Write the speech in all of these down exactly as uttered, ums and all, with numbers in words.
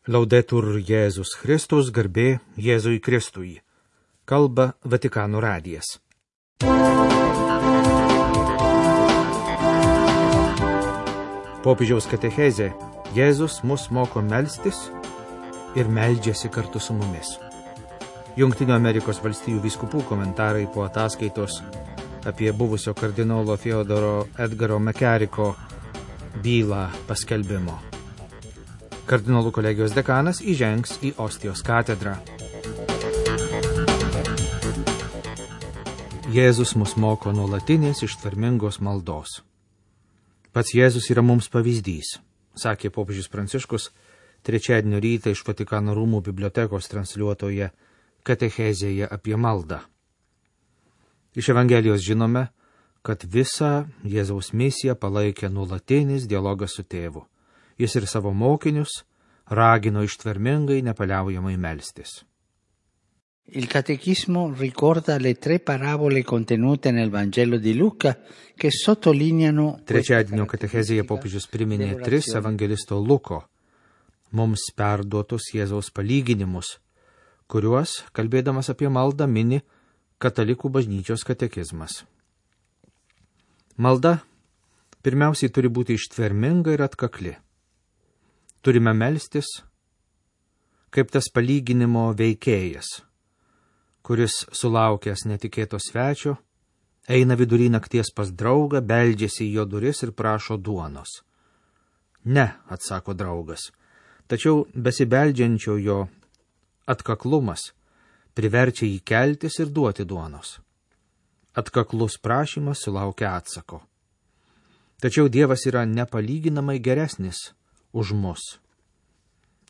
Laudetur Jėzus Kristus, garbė Jėzui Kristui. Kalba Vatikano radijas. Popiežiaus katechezė Jėzus mus moko melstis ir meldžiasi kartu su mumis. Jungtinių Amerikos valstijų vyskupų komentarai po ataskaitos apie buvusio kardinolo Theodoro Edgaro McCarricko bylą paskelbimo. Kardinolų kolegijos dekanas įžengs į Ostijos katedrą. Jėzus mus moko nuolatinės ištvermingos maldos. Pats Jėzus yra mums pavyzdys, sakė popiežius Pranciškus trečiadienio rytą iš Vatikano rūmų bibliotekos transliuotoje katechezėje apie maldą. Iš Evangelijos žinome, kad visą Jėzaus misiją palaikė nuolatinis dialogas su tėvu. Jis ir savo mokinius ragino ištvermingai nepaliaujamai melstis. Il catechismo ricorda le tre parabole contenute nel Vangelo di Luca che sottolineano. Trečiadienio katechezėje popiežius priminė tris evangelisto Luko mums perduotus Jėzaus palyginimus, kuriuos, kalbėdamas apie maldą, mini katalikų bažnyčios katekizmas. Malda pirmiausiai turi būti ištverminga ir atkakli. Turime melstis kaip tas palyginimo veikėjas, kuris sulaukęs netikėto svečio, eina vidury nakties pas draugą, beldžiasi į jo duris ir prašo duonos. Ne, atsako draugas, tačiau besibeldžiančio jo atkaklumas priverčia jį keltis ir duoti duonos. Atkaklus prašymas sulaukia atsako. Tačiau Dievas yra nepalyginamai geresnis už mus.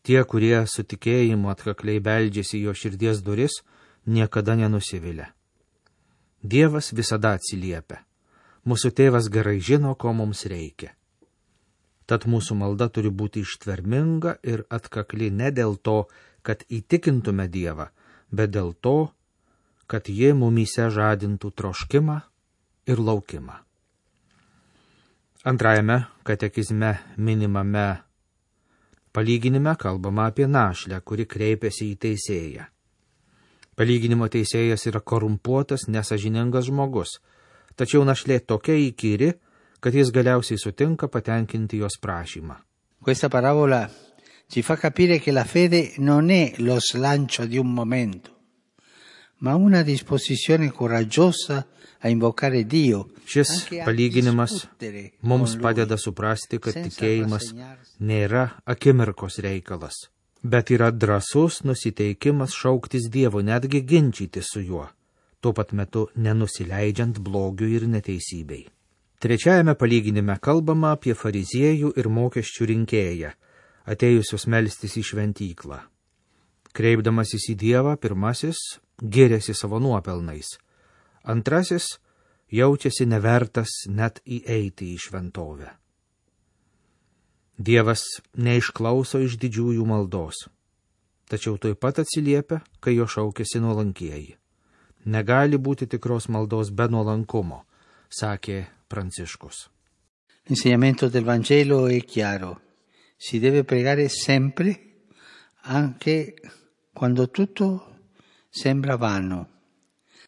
Tie, kurie su tikėjimu atkakliai beldžiasi jo širdies duris, niekada nenusivilia. Dievas visada atsiliepia. Mūsų tėvas gerai žino, ko mums reikia. Tad mūsų malda turi būti ištverminga ir atkakli ne dėl to, kad įtikintume Dievą, bet dėl to, kad jie mumyse žadintų troškimą ir laukimą. Antrajame katekizme minimame palyginime kalbama apie našlę, kuri kreipiasi į teisėją. Palyginimo teisėjas yra korumpuotas, nesažiningas žmogus, tačiau našlė tokia įkyri, kad jis galiausiai sutinka patenkinti jos prašymą. Questa parabola ci fa capire che la fede non è lo slancio di un momento, ma una disposizione coraggiosa a invocare Dio. Šis palyginimas mums padeda suprasti, kad tikėjimas nėra akimirkos reikalas, bet yra drąsus nusiteikimas šauktis Dievo, netgi ginčyti su juo, tuo pat metu nenusileidžiant blogiui ir neteisybei. Trečiajame palyginime kalbama apie fariziejų ir mokesčių rinkėją, atėjusius melstis į šventyklą. Kreipdamasis į Dievą, pirmasis giriasi savo nuopelnais, antrasis jaučiasi nevertas net įeiti į šventovę. Dievas neišklauso iš didžiųjų maldos, tačiau taip pat atsiliepia, kai jo šaukiasi nuolankieji. Negali būti tikros maldos be nuolankumo, sakė Pranciškus. L'insegnamento del Vangelo è chiaro. Si deve pregare sempre, anche quando tutto sembra vano.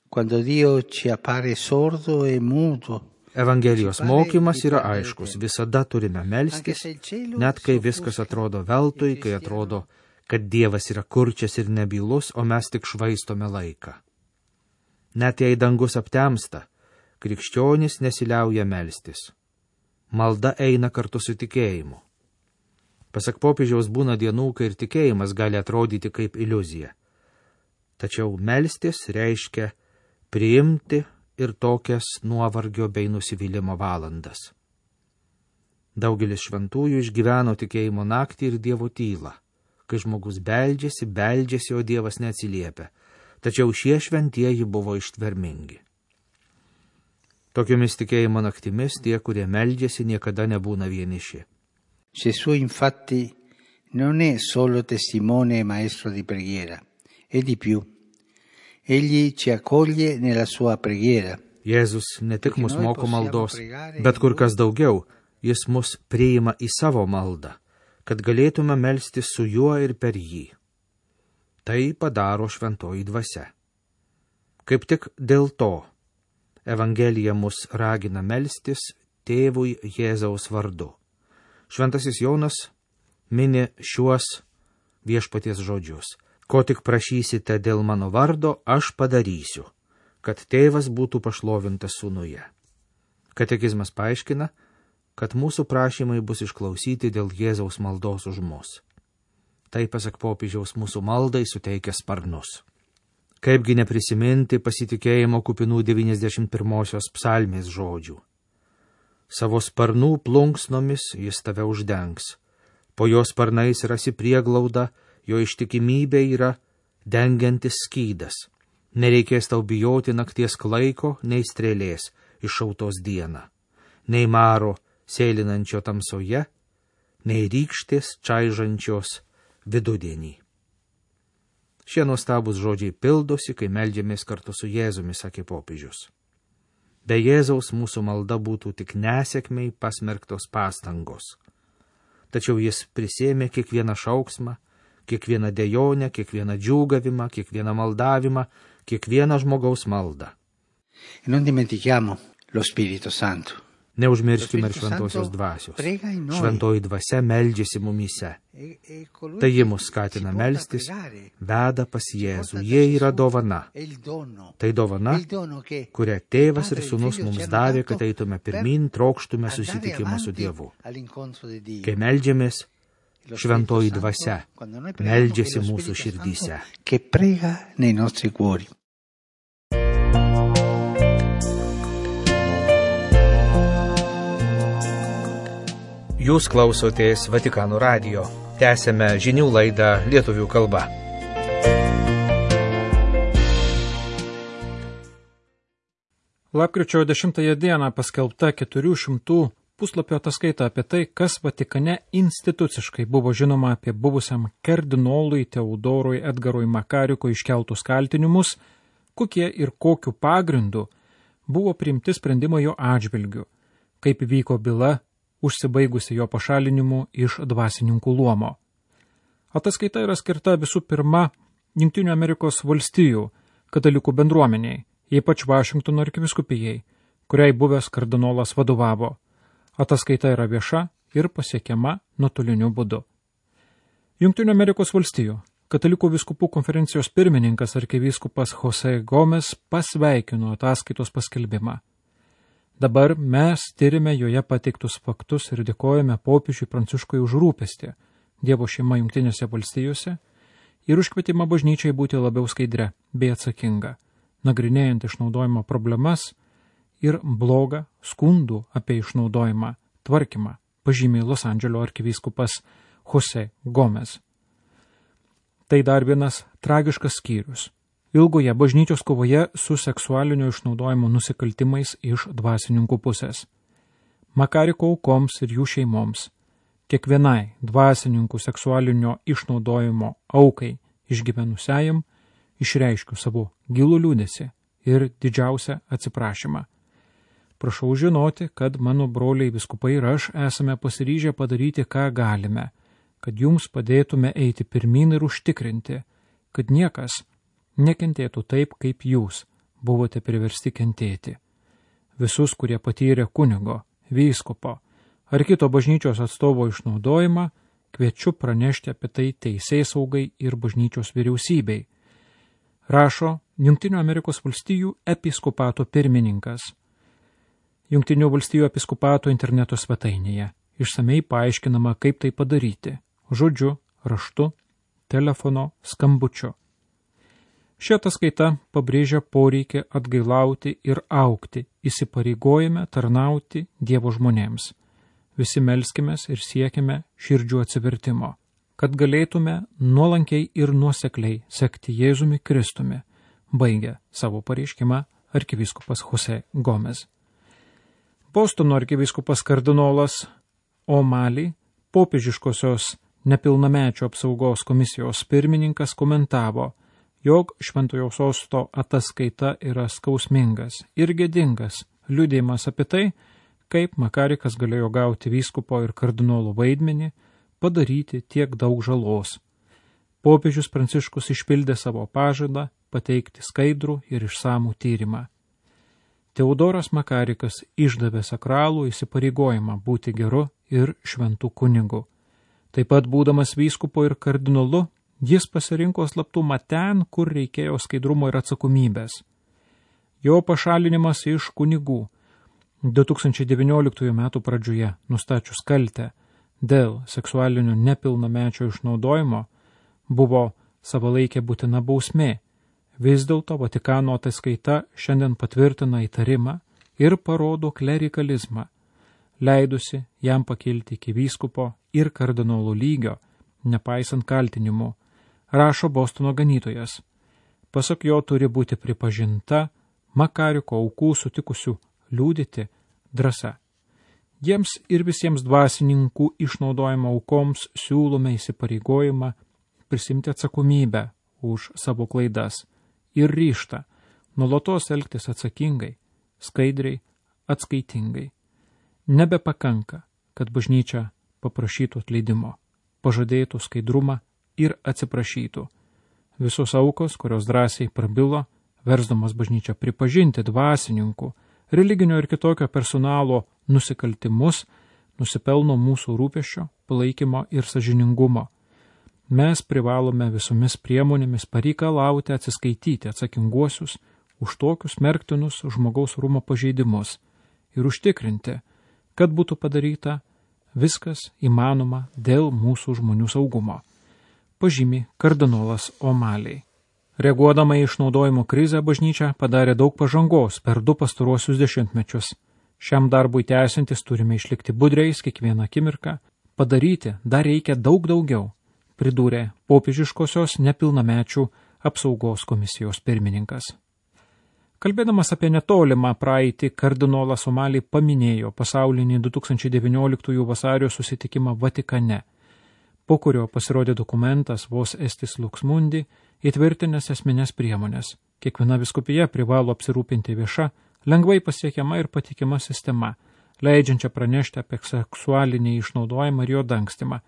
Quando Dio ci appare sordo e muto. Evangelijos mokymas yra aiškus. Visada turime melstis, net kai viskas atrodo veltui, kai atrodo, kad Dievas yra kurčias ir nebylus, o mes tik švaistome laiką. Net jei dangus aptemsta, krikščionis nesiliauja melstis. Malda eina kartu su tikėjimu. Pasak popiežiaus, būna dienų, kai ir tikėjimas gali atrodyti kaip iliuzija. Tačiau melstis reiškia priimti ir tokias nuovargio bei nusivylimo valandas. Daugelis šventųjų išgyveno tikėjimo naktį ir Dievo tylą, kai žmogus beldžiasi, beldžiasi, o Dievas neatsiliepia. Tačiau šie šventieji buvo ištvermingi. Tokiomis tikėjimo naktimis tie, kurie meldžiasi, niekada nebūna vieniši. Gesù infatti non è solo testimone e maestro di preghiera, è di più. Egli ci accoglie nella sua preghiera. Jėzus ne tik mus moko maldos, bet kur kas daugiau, jis mus priima į savo maldą, kad galėtume melstis su juo ir per jį. Tai padaro šventoji dvasia. Kaip tik dėl to Evangelija mus ragina melstis Tėvui Jėzaus vardu. Šventasis Jonas mini šiuos viešpaties žodžius. Ko tik prašysite dėl mano vardo, aš padarysiu, kad tėvas būtų pašlovintas sūnuje. Katekizmas paaiškina, kad mūsų prašymai bus išklausyti dėl Jėzaus maldos už mus. Tai, pasak popiežiaus, mūsų maldai suteikia sparnus. Kaipgi neprisiminti pasitikėjimo kupinų devyniasdešimt pirmosios psalmės žodžių. Savo sparnų plunksnomis jis tave uždengs. Po jo sparnais rasi prieglaudą, jo ištikimybė yra dengiantis skydas. Nereikės tau bijoti nakties klaiko, nei strėlės iššautos dieną, nei maro sėlinančio tamsoje, nei rykštės čaižančios vidudienį. Šie nuostabūs žodžiai pildosi, kai meldžiamės kartu su Jėzumi, sakė popiežius. Be Jėzaus mūsų malda būtų tik nesėkmei pasmerktos pastangos. Tačiau jis prisėmė kiekvieną šauksmą, kiekvieną dejonę, kiekvieną džiūgavimą, kiekvieną maldavimą, kiekvieną žmogaus maldą. Non dimentichiamo lo Spirito Santo. Neužmirškime ir šventosios dvasios. Šventoji dvasia meldžiasi mumyse. Tai ji mus skatina melstis, veda pas Jėzų. Jie yra dovana. Tai dovana, kurią tėvas ir sūnus mums davė, kad eitume pirmin, trokštume susitikimą su Dievu. Kai meldžiamės, šventoji dvasia meldžiasi mūsų širdyse. Che prega nei nostri cuori. Jūs klausotės Vatikano radijo. Tęsėme žinių laidą lietuvių kalba. Lapkričio dešimtąją dieną paskelbta keturių šimtų puslapio ataskaita apie tai, kas Vatikane instituciškai buvo žinoma apie buvusiam kardinolui Teodorui Edgarui Makarikui iškeltus kaltinimus, kokie ir kokiu pagrindu buvo priimti sprendimai jo atžvilgiu, kaip vyko byla užsibaigusi jo pašalinimu iš dvasininkų luomo. Ataskaita yra skirta visų pirma Jungtinių Amerikos valstijų katalikų bendruomeniai, ypač Vašingtono arkivyskupijai, kuriai buvęs kardinolas vadovavo. Ataskaita yra vieša ir pasiekiama nuotoliniu būdu. Jungtinių Amerikos valstijų katalikų vyskupų konferencijos pirmininkas arkivyskupas Jose Gomes pasveikino ataskaitos paskelbimą. Dabar mes tyrime joje pateiktus faktus ir dėkojame popiežiui Pranciškui už rūpestį Dievo šeima Jungtinėse valstijose ir už kvietimą bažnyčiai būti labiau skaidria bei atsakinga, nagrinėjant išnaudojimo problemas ir blogą skundų apie išnaudojimą tvarkymą, pažymė Los Andželo arkivyskupas Jose Gomes. Tai dar vienas tragiškas skyrius ilgoje bažnyčios kovoje su seksualinio išnaudojimo nusikaltimais iš dvasininkų pusės. Makariko aukoms ir jų šeimoms, kiekvienai dvasininkų seksualinio išnaudojimo aukai išgyvenusiajam, išreiškiu savo gilų liūdesį ir didžiausią atsiprašymą. Prašau žinoti, kad mano broliai vyskupai ir aš esame pasiryžę padaryti, ką galime, kad jums padėtume eiti pirmin ir užtikrinti, kad niekas nekentėtų taip, kaip jūs buvote priversti kentėti. Visus, kurie patyrė kunigo, vyskupo ar kito bažnyčios atstovo išnaudojimą, kviečiu pranešti apie tai teisėsaugai ir bažnyčios vyriausybei. Rašo Jungtinių Amerikos valstijų episkopato pirmininkas. Jungtinių valstijų episkopato interneto svetainėje išsamei paaiškinama, kaip tai padaryti – žodžiu, raštu, telefono, skambučiu. Ši ataskaita pabrėžia poreikį atgailauti ir augti, įsipareigojame tarnauti Dievo žmonėms. Visi melskimės ir siekime širdžių atsivertimo, kad galėtume nuolankiai ir nuosekliai sekti Jėzumi Kristumi, baigė savo pareiškimą arkivyskupas Jose Gomes. Bostono arkivyskupas kardinolas O'Malley, popiežiškosios nepilnamečio apsaugos komisijos pirmininkas, komentavo, jog Šventojo Sosto ataskaita yra skausmingas ir gėdingas liudijimas apie tai, kaip Makarikas galėjo gauti vyskupo ir kardinolo vaidmenį, padaryti tiek daug žalos. Popiežius Pranciškus išpildė savo pažadą pateikti skaidrų ir išsamų tyrimą. Teodoras Makarikas išdavė sakralų įsipareigojimą būti geru ir šventų kunigu. Taip pat būdamas vyskupu ir kardinolu, jis pasirinko slaptumą ten, kur reikėjo skaidrumo ir atsakomybės. Jo pašalinimas iš kunigų du tūkstančiai devynioliktųjų metų pradžioje nustačius kaltę dėl seksualinio nepilnamečio išnaudojimo buvo savalaikė būtina bausmė. Vis dėlto Vatikano ataskaita šiandien patvirtina įtarimą ir parodo klerikalizmą, leidusi jam pakilti iki vyskupo ir kardinolo lygio, nepaisant kaltinimų, rašo Bostono ganytojas. Pasak jo turi būti pripažinta Makariko aukų sutikusių liudyti drąsa. Jiems ir visiems dvasininkų išnaudojimo aukoms siūlome įsipareigojimą prisimti atsakomybę už savo klaidas ir ryžtą nuolatos elgtis atsakingai, skaidriai, atskaitingai. Nebepakanka, kad bažnyčia paprašytų atleidimo, pažadėtų skaidrumą ir atsiprašytų. Visos aukos, kurios drąsiai prabilo, versdamas bažnyčią pripažinti dvasininkų, religinio ir kitokio personalo nusikaltimus, nusipelno mūsų rūpesčio, palaikymo ir sąžiningumo. Mes privalome visomis priemonėmis pareikalauti atsiskaityti atsakinguosius už tokius smerktinus žmogaus rūmo pažeidimus ir užtikrinti, kad būtų padaryta viskas įmanoma dėl mūsų žmonių saugumo, pažymi kardinolas O'Malley. Reaguodama į išnaudojimo krizę, bažnyčia padarė daug pažangos per du pastaruosius dešimtmečius. Šiam darbui tęsiantis turime išlikti budriais kiekvieną akimirką, padaryti dar reikia daug daugiau, pridūrė popiežiškosios nepilnamečių apsaugos komisijos pirmininkas. Kalbėdamas apie netolimą praeitį, kardinolas O'Malley paminėjo pasaulinį du tūkstančiai devynioliktųjų vasario susitikimą Vatikane, po kurio pasirodė dokumentas Vos Estis Lux Mundi, įtvirtinęs esminės priemonės. Kiekviena vyskupija privalo apsirūpinti vieša, lengvai pasiekiama ir patikima sistema, leidžiančia pranešti apie seksualinį išnaudojimą ir jo dangstimą,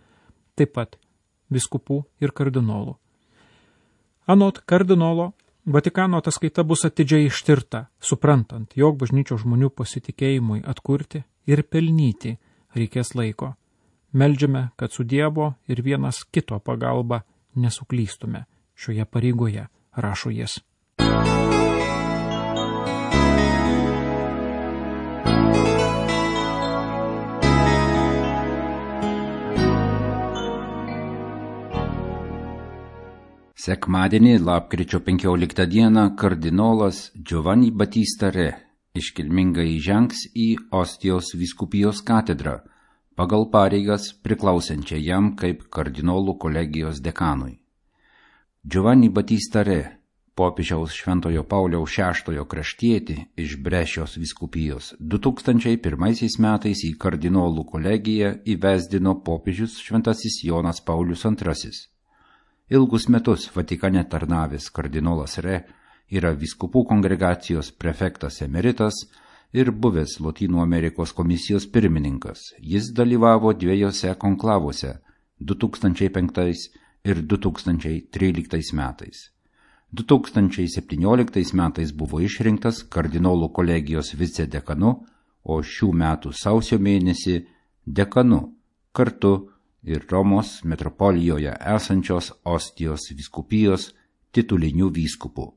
taip pat vyskupų ir kardinolų. Anot kardinolo, Vatikano ataskaita bus atidžiai ištirta, suprantant, jog bažnyčios žmonių pasitikėjimui atkurti ir pelnyti reikės laiko. Meldžiame, kad su Dievo ir vienas kito pagalba nesuklystume šioje pareigoje, rašo jis. Sekmadienį, lapkričio penkioliktą dieną, kardinolas Giovanni Battista Re iškilmingai įžengs į Ostijos vyskupijos katedrą, pagal pareigas priklausančią jam kaip kardinolų kolegijos dekanui. Giovanni Battista Re, popiežiaus Šventojo Pauliaus šeštojo kraštietį iš Brešios vyskupijos, du tūkstančiai pirmaisiais metais į kardinolų kolegiją įvesdino popiežius Šventasis Jonas Paulius antrasis. Ilgus metus Vatikane tarnavęs kardinolas Re yra vyskupų kongregacijos prefektas emeritas ir buvęs Lotynų Amerikos komisijos pirmininkas. Jis dalyvavo dviejose konklavuose du tūkstančiai penktais ir du tūkstančiai tryliktais metais. du tūkstančiai septynioliktais metais buvo išrinktas kardinolų kolegijos vicedekanu, o šių metų sausio mėnesį dekanu kartu ir Romos metropolijoje esančios Ostijos vyskupijos titulinių vyskupų.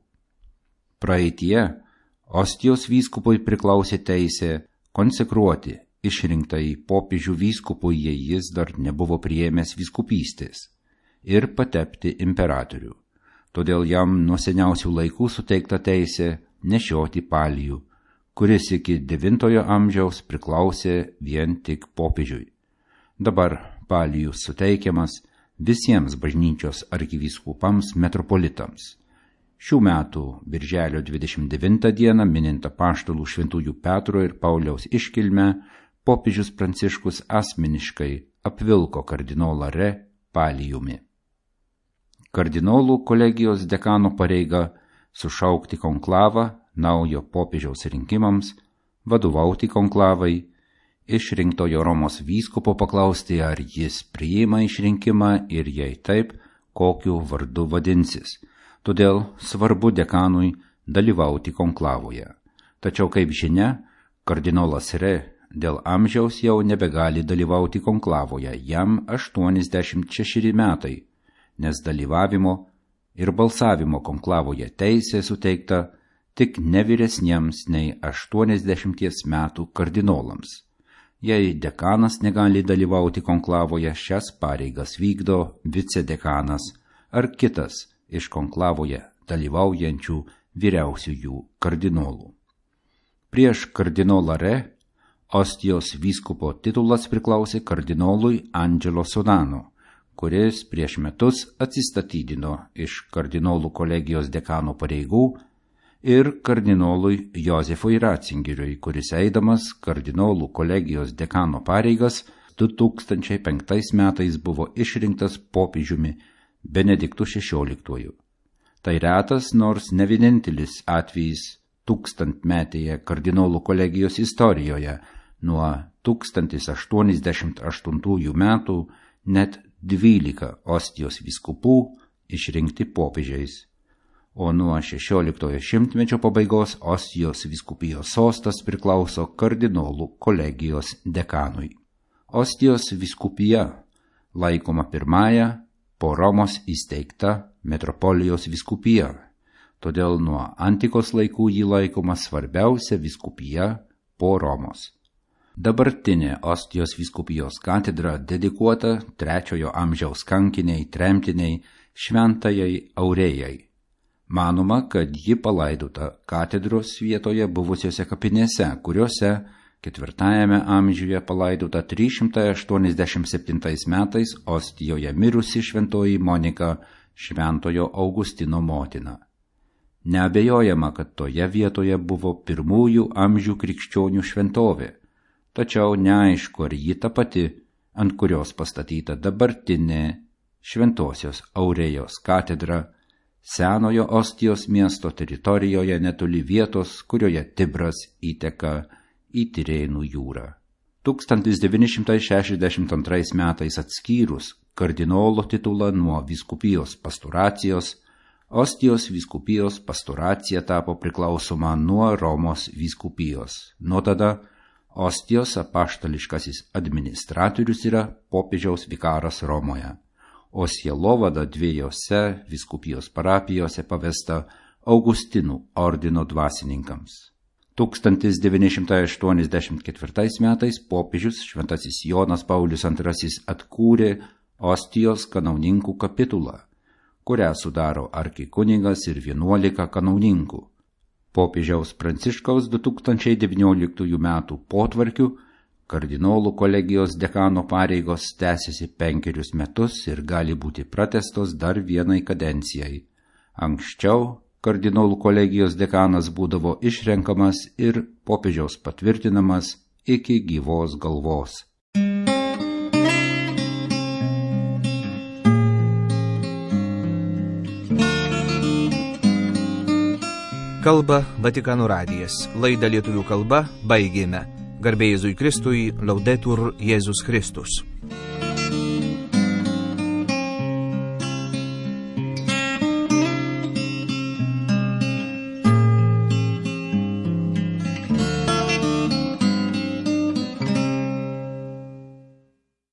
Praeitie Ostijos vyskupui priklausė teisė konsekruoti išrinktąjį popiežių vyskupui, jei jis dar nebuvo priėmęs vyskupystės, ir patepti imperatorių. Todėl jam nuo seniausių laikų suteikta teisė nešioti palijų, kuris iki devintojo amžiaus priklausė vien tik popiežiui. Dabar palijus suteikiamas visiems bažnyčios arkivyskupams metropolitams. Šių metų birželio dvidešimt devintą dieną, minint apaštalų šventųjų Petro ir Pauliaus iškilmę, popiežius Pranciškus asmeniškai apvilko kardinolą Re palijumi. Kardinolų kolegijos dekano pareiga sušaukti konklavą naujo popiežiaus rinkimams, vadovauti konklavai išrinktojo Romos vyskupo paklausti, ar jis priima išrinkimą ir jei taip, kokiu vardu vadinsis. Todėl svarbu dekanui dalyvauti konklavoje. Tačiau, kaip žinia, kardinolas Re dėl amžiaus jau nebegali dalyvauti konklavoje, jam aštuoniasdešimt šešeri metai, nes dalyvavimo ir balsavimo konklavoje teisė suteikta tik nevyresniems nei aštuoniasdešimties metų kardinolams. Jei dekanas negali dalyvauti konklavoje, šias pareigas vykdo vicedekanas ar kitas iš konklavoje dalyvaujančių vyriausiųjų kardinolų. Prieš kardinolą Re Ostijos vyskupo titulas priklausė kardinolui Angelo Sodano, kuris prieš metus atsistatydino iš kardinolų kolegijos dekano pareigų, ir kardinolui Jozefui Ratzingeriui, kuris eidamas kardinolų kolegijos dekano pareigas du tūkstančiai penktais metais buvo išrinktas popiežiumi Benediktu šešioliktuoju. Tai retas, nors ne vienintelis atvejis tūkstantmetėje kardinolų kolegijos istorijoje. Nuo tūkstantis aštuoniasdešimt aštuntųjų metų net dvylika Ostijos vyskupų išrinkti popiežiais, o nuo šešioliktojo šimtmečio pabaigos Ostijos vyskupijos sostas priklauso kardinolų kolegijos dekanui. Ostijos vyskupija laikoma pirmąja po Romos įsteigta metropolijos vyskupija, todėl nuo antikos laikų ji laikoma svarbiausia vyskupija po Romos. Dabartinė Ostijos vyskupijos katedra dedikuota trečiojo amžiaus kankiniai tremtiniai šventajai Aurėjai. Manoma, kad ji palaidota katedros vietoje buvusiose kapinėse, kuriuose ketvirtajame amžiuje palaidota trys šimtai aštuoniasdešimt septintais metais Ostijoje mirusi šventoji Monika, šventojo Augustino motina. Neabejojama, kad toje vietoje buvo pirmųjų amžių krikščionių šventovė, tačiau neaišku, ar ji ta pati, ant kurios pastatyta dabartinė Šventosios Aurėjos katedra, senojo Ostijos miesto teritorijoje netoli vietos, kurioje Tibras įteka į Tirėnų jūrą. tūkstantis devyni šimtai šešiasdešimt antrais metais atskyrus kardinolo titulą nuo vyskupijos pastoracijos, Ostijos vyskupijos pastoracija tapo priklausoma nuo Romos vyskupijos. Nuo tada Ostijos apaštališkasis administratorius yra popiežiaus vikaras Romoje, o sielovada dviejose vyskupijos parapijose pavesta Augustinų ordino dvasininkams. tūkstantis devyni šimtai aštuoniasdešimt ketvirtais metais popiežius šventasis Jonas Paulius antrasis atkūrė Ostijos kanauninkų kapitulą, kurią sudaro arkikunigas ir vienuolika kanauninkų. Popiežiaus Pranciškaus du tūkstančiai devynioliktųjų metų potvarkiu kardinolų kolegijos dekano pareigos tęsiasi penkerius metus ir gali būti pratęstos dar vienai kadencijai. Anksčiau kardinolų kolegijos dekanas būdavo išrenkamas ir popiežiaus patvirtinamas iki gyvos galvos. Kalba Vatikano radijas. Laidą lietuvių kalba baigėme. Garbė Jėzui Kristui, Laudetur Jėzus Kristus.